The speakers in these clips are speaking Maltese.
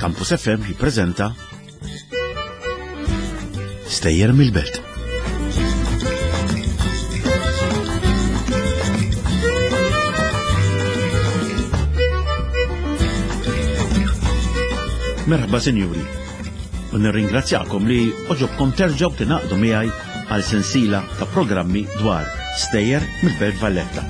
Campus FM jippreżenta Stejjer mill-Belt. Merħba sinjuri, u nirringrazzjakom li oġobkom terġgħu tingħaqdu miegħi għal sensila ta' programmi dwar stejjer mill-Belt Valletta.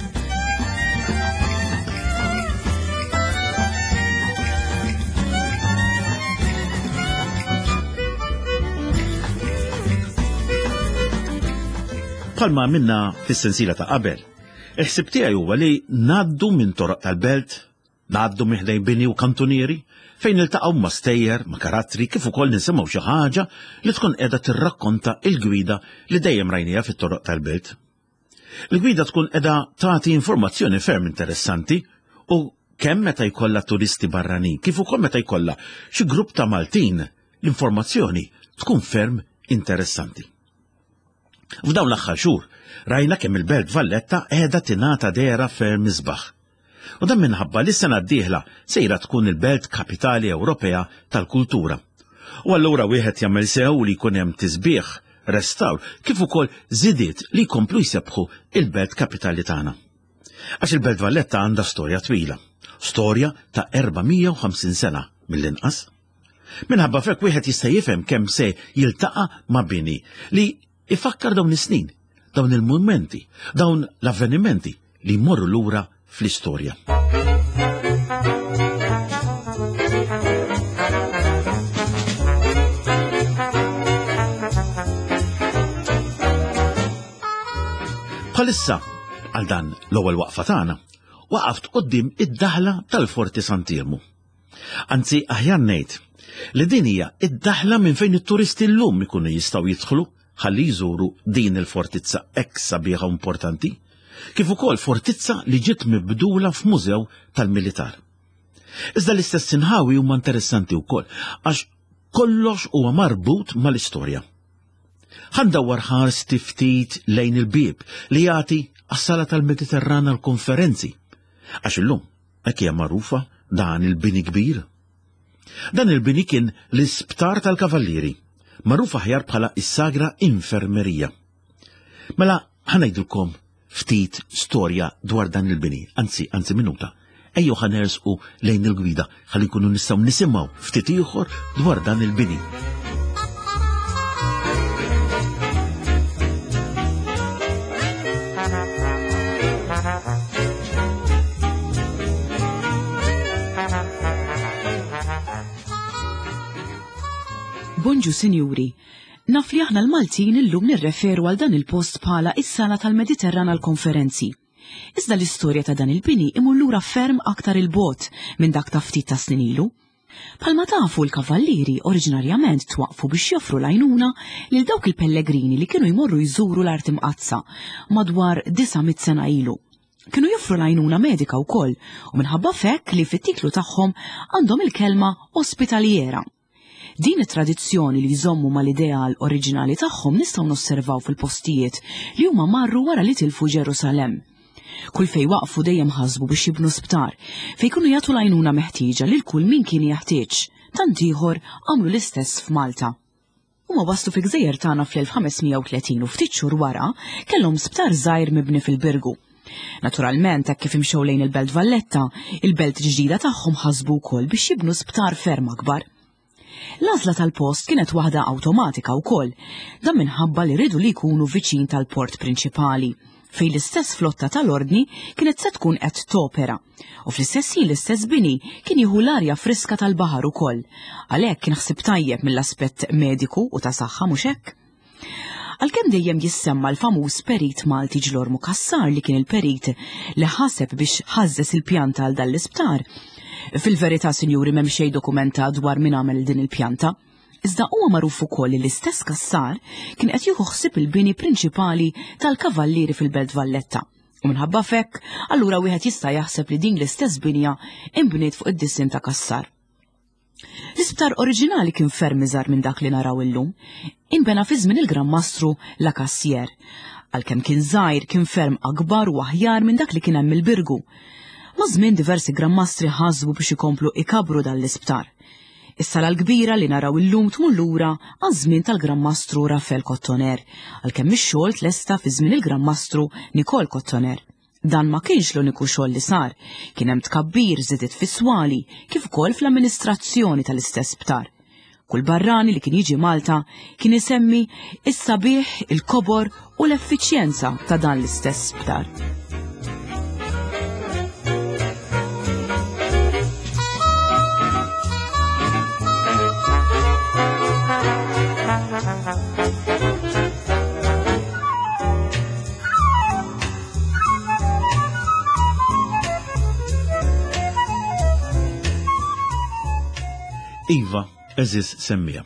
Bħalma minna fis-sensiela ta' qabel, il-ħsib tiegħi huwa li ngħaddu minn toroq tal-belt, Ngħaddu minn ħdejn bini u kantunieri fejn niltaqgħu ma' stejjer, ma' karattri kif ukoll nisimgħu xi ħaġa li tkun qiegħda tirrakkonta l-gwida li dejjem rajniha fit-toroq tal-belt. Il-gwida tkun qiegħda tagħti informazzjoni ferm interessanti u kemm meta jkollha turisti barranin kif ukoll meta jkollha xi grupp ta' Maltin l-informazzjoni tkun ferm interessanti. F'dawn l-aħħar xhur rajna kemm il-Belt Valletta qiegħda tingħata dehra ferm isbaħ. U dan minħabba li s-sena d-dieħla sejra tkun il-belt kapitali Ewropea tal-kultura. U allura wieħed jagħmel sew li jkun hemm tisbiħ, restawr, kif ukoll żidiet li jkomplu jsebbħu il-belt kapitali tagħna. Għax il-Belt Valletta għandha storja twila, storja ta' 450 sena mill-inqas. Minħabba f'hekk wieħed jista' jifhem kemm se jiltaqa' ma' bini li ifakkar dawn is-snin, dawn il-mumenti, dawn l-avvenimenti li jmorru lura fl-istorja. Bħalissa, għal dan l-ewwel waqfa tagħna, waqaft quddiem id-daħla tal-Forti Sant'Iermu. Anzi, aħjar ngħid li din hija id-daħla minn fejn it-turisti llum ikunu jistgħu jidħlu ħalli jżuru din il-fortizza hekk sabiħa u importanti, kif ukoll fortizza li ġiet mibdula f'mużew tal-militar. Iżda l-istess inħawi huma interessanti wkoll għax kollox huwa marbut mal-istorja. Ħa ndawwar ħarsti ftit lejn il-bieb li jagħti għas-sala tal-Mediterran għall-konferenzi. Għax illum hekk hija magħrufa dan il-bini kbir. Dan il-bini kien l-isptar tal-Kavallieri, magħruf aħjar bħala is-Sagra Infermerija. Mela ħa ngħidilkom ftit storja dwar dan il-bini, anzi, anzi minuta. Ejjew ħa nersqu lejn il-gwida ħalli nkunu nistgħu nisimgħu ftit ieħor dwar dan il-bini. Bonġu sinjuri, naf li aħna l-Maltin illum nirreferu għal dan il-post bħala is-sala tal-Mediterran għall-konferenzi. Iżda l-istorja ta' dan il-bini imur lura ferm aktar il-bogħod minn dak ta' ftit ta' snin ilu. Bħalma tafu l-kavallieri oriġinarjament twaqqfu biex joffru l-għajnuna lil dawk il-pellegrini li kienu jmorru jżuru l-Art Imqaddsa madwar 900 sena ilu. Kienu joffru l-għajnuna medika wkoll u minħabba f'hekk li fit-titlu tagħhom għandhom il-kelma ospitaliera. Din it-tradizzjoni li jżommu mal-ideal oriġinali tagħhom nistgħu nosservaw fil-postijiet li huma marru wara li tilfu Ġerusalemm. Kull fejn waqfu dejjem ħasbu biex jibnu sptar fejn kienu jagħtu l-għajnuna meħtieġa lil kull min kien jeħtieġ. Tant ieħor għamlu l-istess f'Malta. Huma waslu fil-gżejjer tagħna fl-1530 u ftit xhur wara kellhom sptar żgħir mibni fil-Birgu. Naturalment, hekk kif imxew lejn il-Belt Valletta, il-belt ġdida tagħhom ħasbu wkoll biex jibnu sptar ferm akbar. L-għażla tal-post kienet waħda awtomatika wkoll, dan minħabba li riedu li jkunu viċin tal-port prinċipali, fejn l-istess flotta tal-Ordni kienet se tkun qed topera. U fl-istess ħin l-istess bini kien jieħu l-arja friska tal-baħar ukoll. Għalhekk kien ħsieb tajjeb mill-aspett mediku u ta' saħħa mhux hekk? Għalkemm dejjem jissemma l-famuż perit Malti Ġlormu Cassar li kien il-perit li ħaseb biex ħażżeż il-pjanta għal dan l-isptar, fil-verità sinjuri m'hemm xejn dokumentat dwar min għamel din il-pjanta. Iżda huwa magħruf ukoll li l-istess Cassar kien qed jieħu ħsieb il-bini prinċipali tal-Kavallieri fil-Belt Valletta. U minħabba f'hekk, allura wieħed jista' jaħseb li din l-istess binja inbniet fuq id-disinn ta' Cassar. L-isptar oriġinali kien ferm iżgħar minn dak li naraw illum. Inbena fi żmien il-Gran Mastru La Cassière. Għalkemm kien żgħir, kien ferm akbar u aħjar minn dak li kien hemm il-Birgu. Maż-żmien diversi Gran Mastri ħasbu biex ikomplu ikabbru dan l-isptar. Is-sala l-kbira li naraw illum tmur lura għaż-żmien tal-Gran Mastru Rafel Kottoner, għalkemm ix-xogħol tlesta fi żmien il-Gran Mastru Nikol Kottoner. Dan ma kienx l-uniku xogħol li sar, kien hemm tkabbir żidiet fis-swali kif ukoll fl-amministrazzjoni tal-istess sptar. Kull barrani li kien jiġi Malta kien isemmi is-sabiħ, il-kobor u l-effiċjenza ta' dan l-istess sptar. Iva, eżis semmija.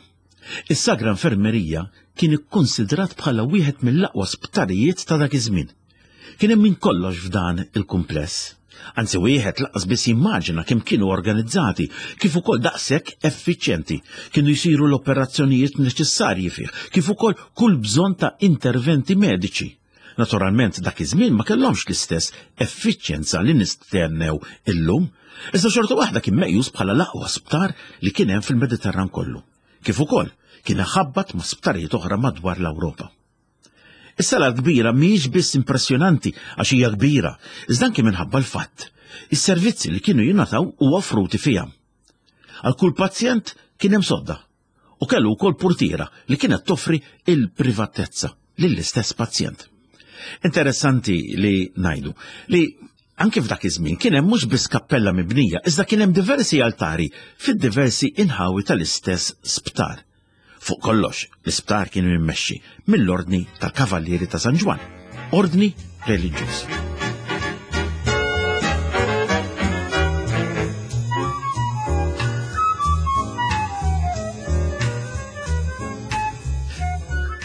Is-Sagra Infermerija kien ikkonsidrat bħala wieħed mill-aqwa sptarijiet ta' dak iż-żmien. Kien hemm minn kollox f'dan il-kumpless. Anzi wieħed lanqas biss jimmaġina kemm kienu organizzati, kif ukoll daqshekk effiċjenti. Kienu jsiru l-operazzjonijiet neċessarji fih, kif ukoll kull bżonn ta' interventi mediċi. Naturalment dak iż-żmien ma kellhomx l-istess effiċjenza li nistennew illum, iżda xorta waħda kien meqjus bħala l-aqwa sptar li kien hemm fil-Mediterran kollu. Kif ukoll kien iħabbat ma' sptarijiet oħra madwar l-Ewropa. Is-sala l-kbira mhijiex biss impressjonanti għax hija kbira, iżda anke minħabba l-fatt is-servizzi li kienu jingħataw u offruti fiha. Għal kull pazjent kien hemm sodda u kellu wkoll purtiera li kienet toffri il-privatezza lill-istess pazjent. Interessanti li ngħidu li anke f'dak iż-żmien kien hemm mhux biss kappella mibnija, iżda kien hemm diversi altari fid-diversi inħawi tal-istess sptar. Fuq kollox, l-isptar kien immexxi mill-Ordni tal-Kavallieri ta' San Ġwann, ordni reliġjuż.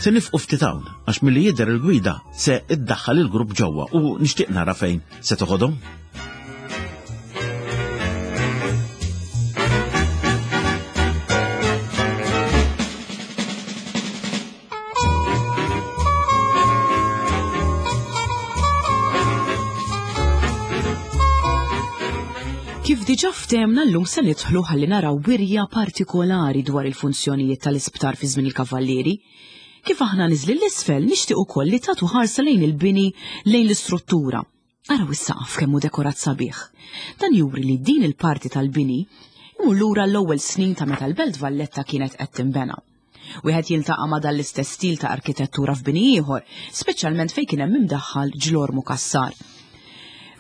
Se nifqu ftit hawn għax milli jidher il-gwida se iddaħħal il-grupp ġewwa u nixtieq nara fejn se toħodhom. Kif diġà ftehmna llum se nidħlu ħalli naraw wirja partikolari dwar il-funzjonijiet tal-isptar fi żmien il-Kavallieri. Kif aħna niżlin l-isfel nixtieq ukoll li tagħtu ħarsa lejn il-bini lejn l-istruttura. Araw is-saqaf kemm hu dekorat sabiħ. Dan juri li din il-parti tal-bini imur lura l-ewwel snin ta' meta l-Belt Valletta kienet qed tinbena. Wieħed jiltaqa' ma' dan l-istess stil ta' arkitettura f'bini ieħor, speċjalment fejn kien hemm imdaħħal ġlormu Cassar.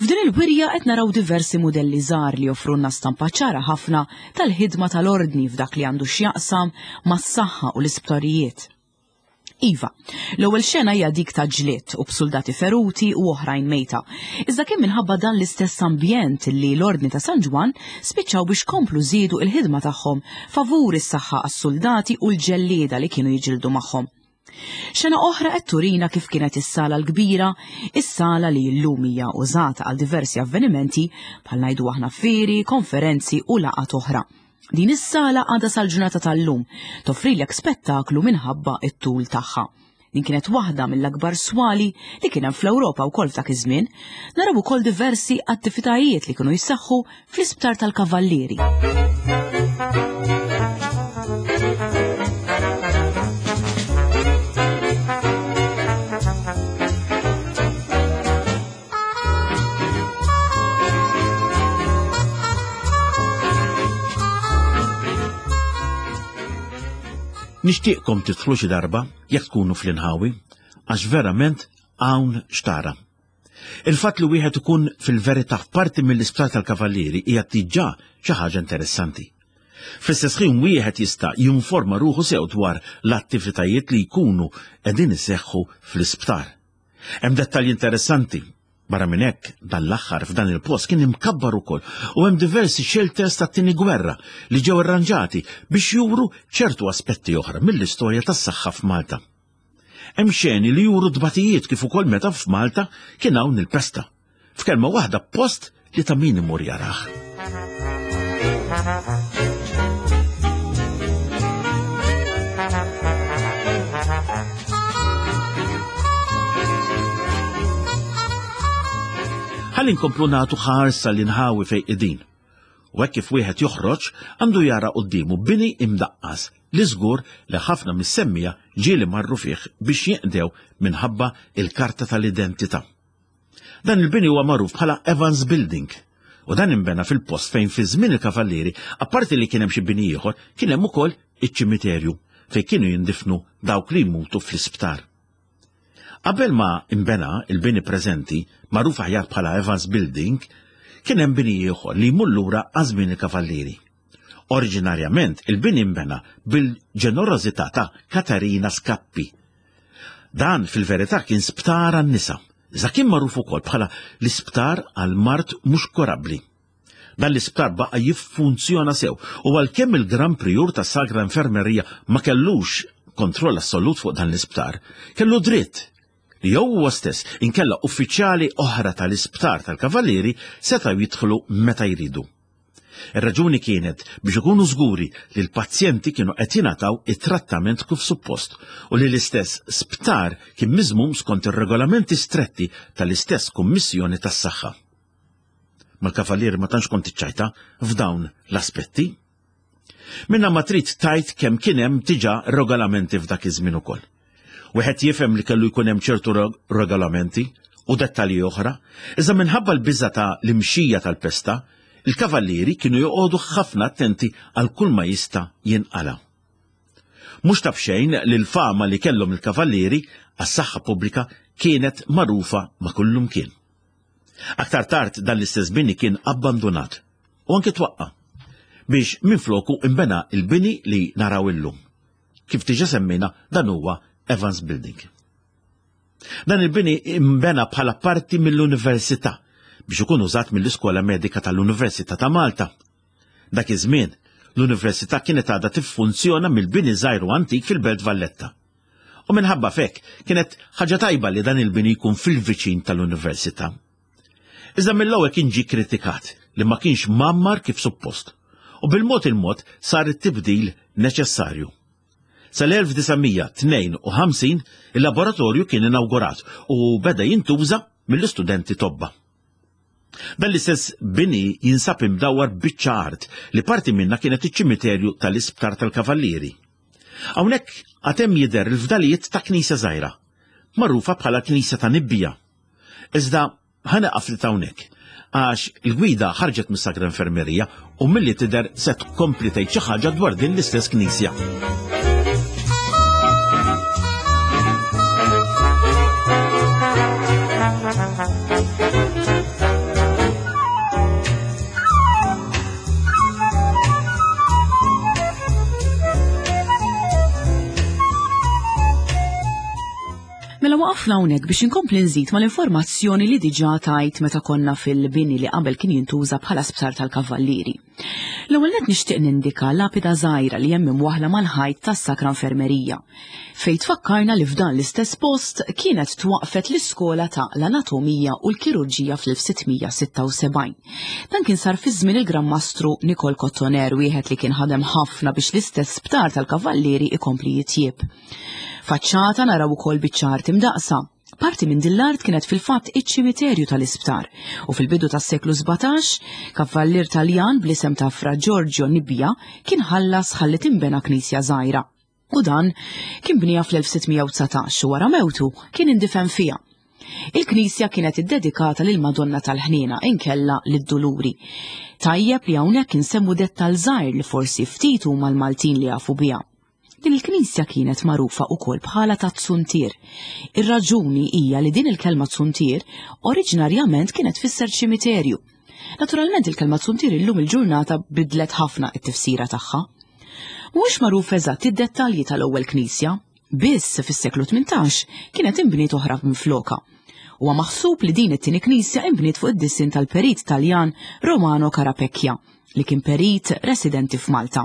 F'din il-wirja qed naraw diversi mudelli żgħar li joffrulna stampa ċara ħafna tal-ħidma tal-Ordni f'dak li għandu x'jaqsam mas-saħħa u l-isptarijiet. Iva, l-ewwel xena hija dik ta' ġlied u b'suldati feruti u oħrajn mejta. Iżda kien minħabba dan l-istess ambjent li l-Ordni ta' San Ġwann spiċċaw biex komplu żiedu il-ħidma tagħhom favur is-saħħa għas-suldati u l-ġellieda li kienu jiġildu magħhom. Xena oħra qed turina kif kienet is-sala l-kbira, is-sala li llum hija użata għal diversi avvenimenti bħal ngħidu aħna fieri, konferenzi u laqgħat oħra. Din is-sala għadha sal-ġurnata tal-lum toffrilek spettaklu minħabba t-tul tagħha. Din kienet waħda mill-akbar swali li kien hemm fl-Ewropa wkoll f'dak iż-żmien. Naraw ukoll diversi attivitajiet li kienu jseħħu fl-Isptar tal-Kavallieri. Nixtieqkom tidħlu xi darba jekk tkunu fl-inħawi, għax verament hawn xtara. Il-fatt li wieħed ikun fil-verità f'parti mill-Isptar tal-Kavallieri hija diġà xi ħaġa interessanti. Fl-istess ħin wieħed jista' jinforma ruħu sew dwar l-attivitajiet li jkunu qegħdin iseħħu fl-isptar. Hemm dettalji interessanti. Barra minn hekk, dan l-aħħar f'dan il-post kien imkabbar ukoll u hemm diversi shelters tat-tieni gwerra li ġew irranġati biex juru ċertu aspetti oħra mill-istorja tas-saħħa f'Malta. Hemm xeni li juru tbatijiet kif ukoll meta f'Malta kien hawn il-pesta. F'kelma waħda post li ta' min imur jarah. Ħalli nkomplu nagħtu ħarsa li nħawi fejn qegħdin. U hekk kif wieħed joħroġ għandu jara quddiemu bini imdaqqas li żgur li ħafna mis-semmija ġieli marru fih biex jinqdew minħabba il-karta tal-identità. Dan il-bini huwa magħruf bħala Evans Building u dan inbena fil-post fejn fi żmien il-Kavallieri, apparti li kien hemm xi bini ieħor, kien hemm ukoll iċ-ċimiterju fejn kienu jindifnu dawk li jmutu fl-isptar. Qabel ma nbena il-bini preżenti, magħruf aħjar bħala Evans Building, kien hemm bini ieħor li jmur lura għaż-żmien il-Kavallieri. Oriġinarjament il-bini nbena bil-ġenerożità ta' Katarina Scappi. Dan fil-verità kien sptar għan-nisa, iżda kien magħruf ukoll bħala l-isptar għall-mard mhux kurabbli. Dan l-isptar baqa' jiffunzjona sew u għalkemm il-Gran Prijur tas-Sagra Infermerija ma kellux kontroll assolut fuq dan l-isptar, kellu dritt li jew huwa stess inkella uffiċjali oħra tal-isptar tal-Kavallieri setgħu jidħlu meta jridu. Ir-raġuni kienet biex ikunu żguri li l-pazjenti kienu qed jingħataw it-trattament kif suppost u li l-istess sptar kien miżmum skont ir-regolamenti stretti tal-istess Kummissjoni tas-Saħħa. Mal-kavallieri ma tantx kont iċċajta f'dawn l-aspetti. Minna ma trid tajt kemm kien hemm diġà regolamenti f'dak iż-żmien ukoll. Wieħed jifhem li kellu jkun hemm ċertu regolamenti u dettalji oħra, iżda minħabba l-biża ta' l-imxija tal-pesta, il-kavallieri kienu joqogħdu ħafna attenti għal kull ma jista' jinqala. Mhux ta' b'xejn li l-fama li kellhom il-kavallieri għas-saħħa pubblika kienet magħrufa ma' kullumkien. Aktar tard dan l-istess bini kien abbandunat u anke twaqqa' biex minfloku imbena il-bini li naraw illum. Kif diġa semmejna dan huwa Evans Building. Dan il-bini imbena bħala parti mill-Università biex ikun użat mill-Iskola Medika tal-Università ta' Malta. Dak iż-żmien, l-Università kienet għadha tiffunzjona mill-bini żgħir u antik fil-Belt Valletta. U minħabba f'hekk kienet ħaġa tajba li dan il-bini jkun fil-viċin tal-università. Iżda mill-ewwel kien ġie kritikat li ma kienx mgħammar kif suppost u bil-mod il-mod sar it-tibdil neċessarju. Sal-1952 il-laboratorju kien inawgurat u beda jintuża mill-istudenti tobba. Dan l-istess bini jinsab imdawwar biċċa art li parti minnha kienet iċ-ċimiterju tal-Isptar tal-Kavallieri. Hawnhekk għad hemm jidher il-fdalijiet ta' knisja żgħira, magħrufa bħala l-Knisja ta' Nibbija. Iżda ħa nieqaf ftit hawnhekk, għax il-gwida ħarġet mis-Sagra Infermerija u milli tidher se tkompli tgħid xi ħaġa dwar din l-istess knisja. Mela waqafna hawnhekk biex inkompli nżid mal-informazzjoni li diġà tajt meta konna fil-bini li qabel kien jintuża bħala sptar tal-Kavallieri. L-ewwel nett nixtieq nindika lapida żgħira li hemm imwaħħla mal-ħajt tas-Sakra Infermerija, fejn tfakkarna li f'dan l-istess post kienet twaqqfet l-iskola ta' l-anatomija u l-kirurġija fl-1676. Dan kien sar fi żmien il-Gran Mastru Nikol Kottoner, wieħed li kien ħadem ħafna biex l-istess sptar tal-Kavallieri ikompli jitjieb. Faċċata naraw ukoll biċċa art imdaqsa. Parti minn din l-art kienet fil-fatt iċ-ċimiterju tal-isptar u fil-bidu tas-seklu 17, kavallier Taljan bl-isem ta' Fra Giorgio Nibbia kien ħallas ħalli tinbena knisja żgħira. U dan kien bniha fl-1619 u wara mewtu kien indifen fiha. Il-knisja kienet iddedikata lil Madonna tal-Ħniena inkella lid-Duluri. Tajjeb li hawnhekk insemmu dettal żgħir li forsi ftit huma l-Maltin li jafu biha. Din il-knisja kienet magħrufa wkoll bħala ta' Zuntier. Ir-raġuni hija li din il-kelma Zuntier oriġinarjament kienet tfisser ċimiterju. Naturalment il-kelma zuntier illum il-ġurnata bidlet ħafna it-tifsira tagħha. Mhuwiex magħruf eżatt id-dettalji tal-ewwel knisja, biss fis-seklu 18 kienet inbniet oħra minflokha. Huwa maħsub li din it-tieni knisja inbniet fuq id-disinn tal-perit Taljan Romano Carapecchia, li kien perit residenti f'Malta.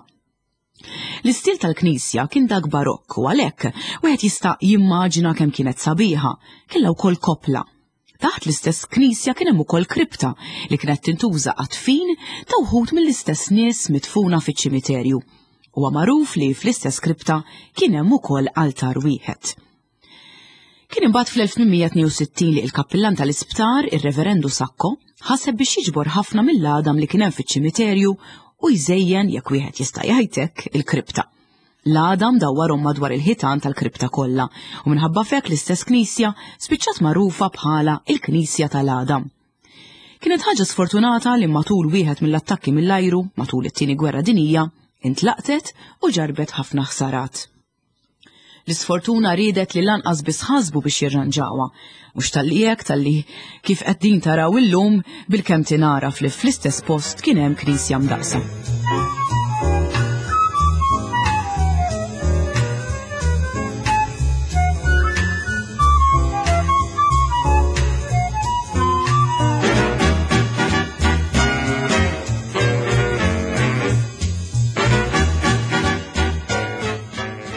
L-istil tal-knisja kien dak barokk u għalhekk wieħed jista' jimmaġina kemm kienet sabiħa, kellha wkoll koppla. Taħt l-istess knisja kien hemm ukoll kripta li kienet tintuża għat-tfin ta' wħud mill-istess nies midfuna fiċ-ċimiterju. Huwa magħruf li fl-istess kripta kien hemm ukoll altar wieħed. Kien imbagħad fl-1862 li l-kappillan tal-isptar, ir-Reverendu Sacco, ħaseb biex jiġbor ħafna mill-għadam li kien hemm fiċ-ċimiterju u jżejjen, jekk wieħed jista' jgħid hekk, il-kripta. L-għadam dawwarhom madwar il-ħitan tal-kripta kollha u minħabba f'hekk l-istess knisja spiċċat magħrufa bħala il-Knisja tal-Għadam. Kienet ħaġa sfortunata li matul wieħed mill-attakki mill-ajru matul it-Tieni Gwerra Dinjija intlaqtet u ġarbet ħafna ħsarat. L-isfortuna riedet li lanqas biss ħasbu biex jirranġawha. Mhux talli hekk talli kif qed din taraw illum bilkemm tingħaraf li fl-istess post kien hemm knisja mdaqsa.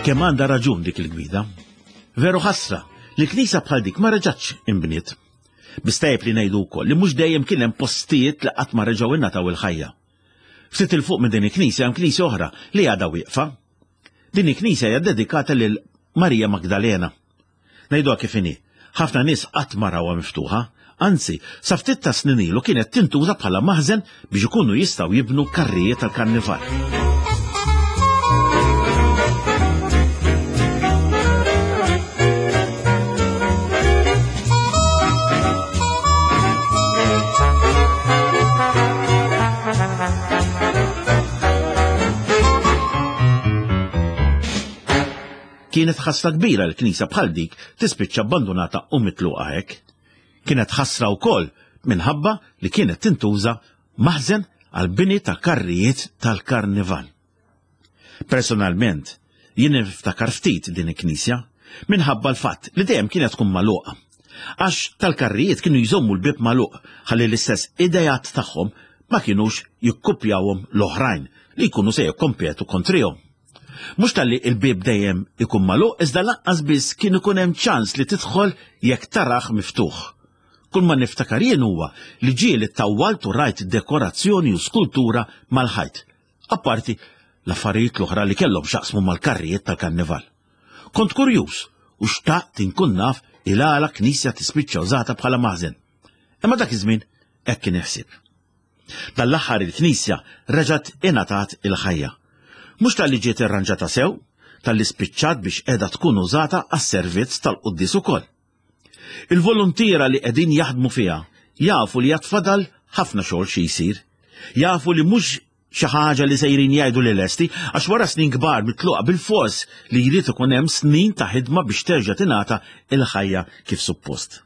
Kemm għandha raġun dik il-gwida. Veru ħasra li knisja bħal dik ma reġgħatx inbniet. Biss tajjeb li ngħidu wkoll li mhux dejjem kien hemm postijiet li qatt ma reġgħu ingħataw il-ħajja. Ftit 'il fuq minn din il-knisja hemm knisja oħra li għadha wieqfa. Din il-knisja hija dedikata lil Marija Magdalena. Ngħiduha kif inhi, ħafna nies qatt ma rawha miftuħa, anzi, sa ftit ta' snin ilu kienet tintuża bħala maħżen biex ikunu jistgħu jibnu karrijiet tal-karnival. Kienet ħasra kbira li knisja bħal dik tispiċċa abbandunata u mitluqa hekk. Kienet ħasra wkoll minħabba li kienet tintuża maħżen għal bini ta' karrijiet tal-karnival. Personalment, jien niftakar ftit din il-knisja minħabba l-fatt li dejjem kienet tkun magħluqa. Għax tal-karrijiet kienu jżommu l-bieb magħluq ħalli l-istess idejat tagħhom ma kinux jikkupjawhom l-oħrajn li jkunu se jikkompetu kontrihom. Mhux talli il-bieb dejjem ikun magħluq iżda lanqas biss kien ikun hemm ċans li tidħol jekk tarah miftuħ. Kull ma niftakar jien huwa li ġieli ttawwalt u rajt dekorazzjoni u skultura mal-ħajt, apparti l-affarijiet l-oħra li kellhom x'jaqsmu mal-karrijiet tal-karnival. Kont kurjuż u xtaqt inkun naf il-għala knisja tispiċċa użata bħala maħżen. Imma dak iż-żmien hekk kien il-ħsieb. Dan l-aħħar il-knisja reġgħet ingħatat il-ħajja. Mhux talli ġiet irranġata sew, talli spiċċat biex qiegħda tkun użata għas-servizz tal-quddies ukoll. Il-voluntiera li qegħdin jaħdmu fiha jafu li għad fadal ħafna xogħol xi jsir. Jafu li mhux xi ħaġa li sejrin jgħidu li lesti għax wara snin kbar mitluqa bilfors li jrid ikun hemm snin ta' ħidma biex terġa' tingħata il-ħajja kif suppost.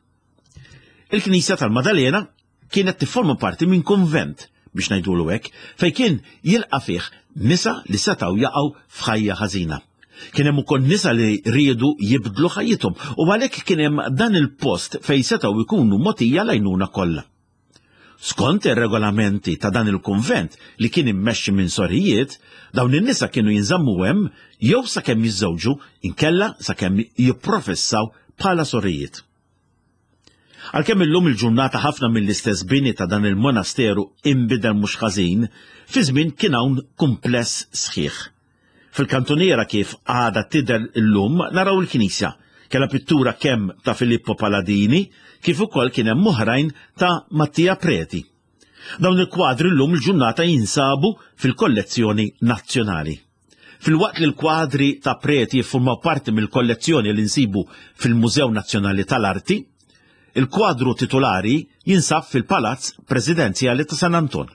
Il-Knisja tal-Madalena kienet tifforma parti minn kunvent, biex ngħidulu hekk, fejn kien jilqa' fih nisa li setgħu jaqgħu f'ħajja ħażina. Kien hemm ukoll nisa li riedu jibdlu ħajjithom u għalhekk kien hemm dan il-post fejn setgħu jkunu mogħtija l-għajnuna kollha. Skont ir-regolamenti ta' dan il-kunvent li kien immexxi minn sorijiet, dawn in-nisa kienu jinżammu hemm jew sakemm jiżżewġu inkella sakemm jipprofessaw bħala sorijiet. Għalkemm illum il-ġurnata ħafna mill-istess bini ta' dan il-monasteru inbidel mhux ħażin, fi żmien kien hawn kumpless sħiħ. Fil-kantuniera kif għadha tidher illum naraw il-knisja. Kellha pittura kemm ta' Filippo Paladini kif ukoll kien hemm oħrajn ta' Mattia Preti. Dawn il-kwadri llum il-ġurnata jinsabu fil-kollezzjoni nazzjonali. Filwaqt li l-kwadri ta' Preti jiffurmaw parti mill-kollezzjoni li nsibu fil-Mużew Nazzjonali tal-Arti, il-kwadru titulari jinsab fil-Palazz Presidenzjali ta' San Anton.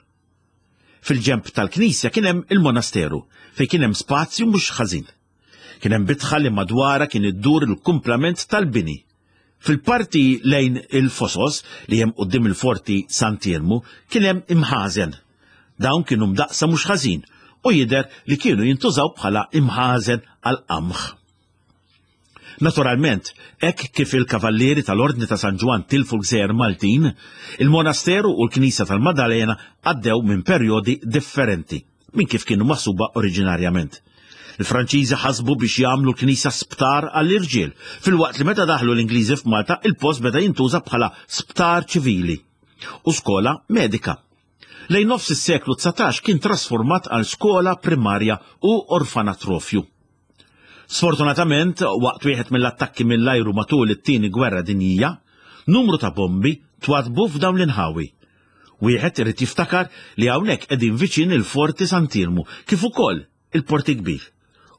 Fil-ġenb tal-knisja kien hemm il-monasteru, fejn kien hemm spazju mhux ħażin. Kien hemm bitħa li madwarha kien iddur il-kumplament tal-bini. Fil-parti lejn il-fosos li hemm quddiem il-Forti Sant'Iermu kien hemm imħażen. Dawn kienu mdaqqsa mhux ħażin u jidher li kienu jintużaw bħala imħażen għall-qamħ. Naturalment, hekk kif il-Kavallieri tal-Ordni ta' San Ġwann tilfu l-gżejjer Maltin, il-monasteru u l-knisja tal-Maddalena għaddew minn perjodi differenti minn kif kienu maħsuba oriġinarjament. Il-Franċiżi ħasbu biex jagħmlu l-knisja sptar għall-irġiel, filwaqt li meta daħlu l-Ingliżi f'Malta il-post beda jintuża bħala sptar ċivili u skola medika. Lejn nofs is-seklu 19 kien trasformat għal skola primarja u orfanatrofju. Sfortunatament, waqt wieħed mill-attakki mill-ajru matul it-Tieni Gwerra Dinjija, numru ta' bombi twaddbu f'dawn l-inħawi. Wieħed irid jiftakar li hawnhekk qegħdin viċin il-Forti Sant'Iermu kif ukoll il-Port il-Kbir.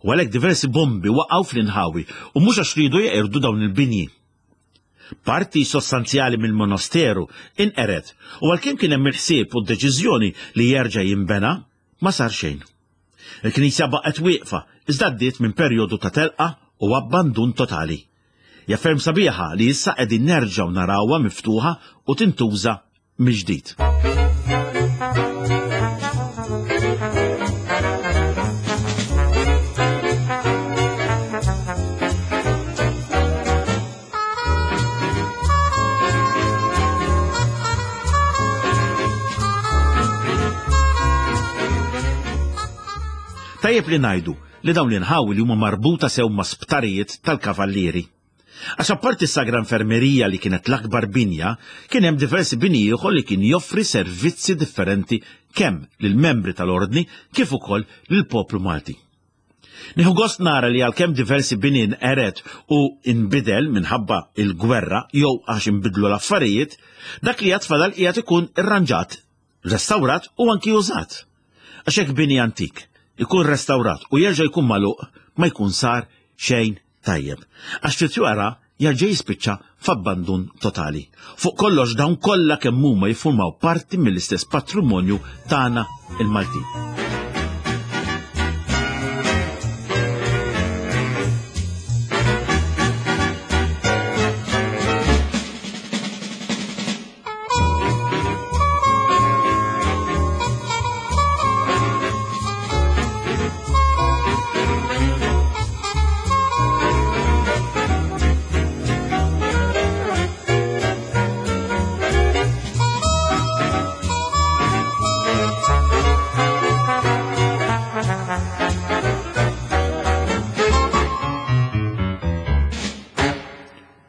U għalhekk diversi bombi waqgħu fl-inħawi u mhux għax riedu jeqirdu dawn il-binji. Parti sostanzjali mill-monasteru inqered u għalkemm kien hemm il-ħsieb u d-deċiżjoni li jerġa' jinbena, ma sar xejn. Il-knisja baqgħet wieqfa iżda għaddiet minn perjodu ta' telqa u abbandun totali. Hija ferm sabiħa li issa qegħdin nerġgħu narawha miftuħa u tintuża mill-ġdid. Tajjeb li ngħidu li dawn l-inħawi li huma marbuta sew ma' sptarijiet tal-kavallieri. Għax apparti s-Sagra Infermerija li kienet l-akbar binja, kien hemm diversi bini ieħor li kien joffri servizzi differenti kemm lill-membri tal-Ordni kif ukoll lill-poplu Malti. Nieħu gost nara li għalkemm diversi bini nqered u nbidel minħabba il-gwerra jew għax inbidlu l-affarijiet, dak li għad fadal qiegħed ikun irranġat, restawrat u anki użat. Għax hekk bini antik ikun restawrat u jerġa' jkun magħluq ma jkun sar xejn tajjeb. Għax ftit wara jerġa' jispiċċa f'abbandun totali. Fuq kollox dawn kollha kemm huma jiffurmaw parti mill-istess patrimonju tagħna il-Maltin.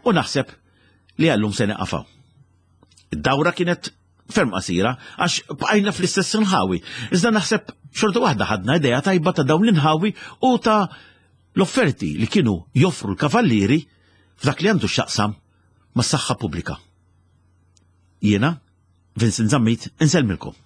U naħseb li għallum se neqafaw. Id-dawra kienet ferm qasira għax bqajna fl-istess inħawi. Iżda naħseb xorta waħda ħadna idea tajba ta' dawn l-inħawi u ta' l-offerti li kienu joffru l-kavallieri f'dak li għandu x'jaqsam mas-saħħa pubblika. Jiena, Vincent Zammit, insellmilkom.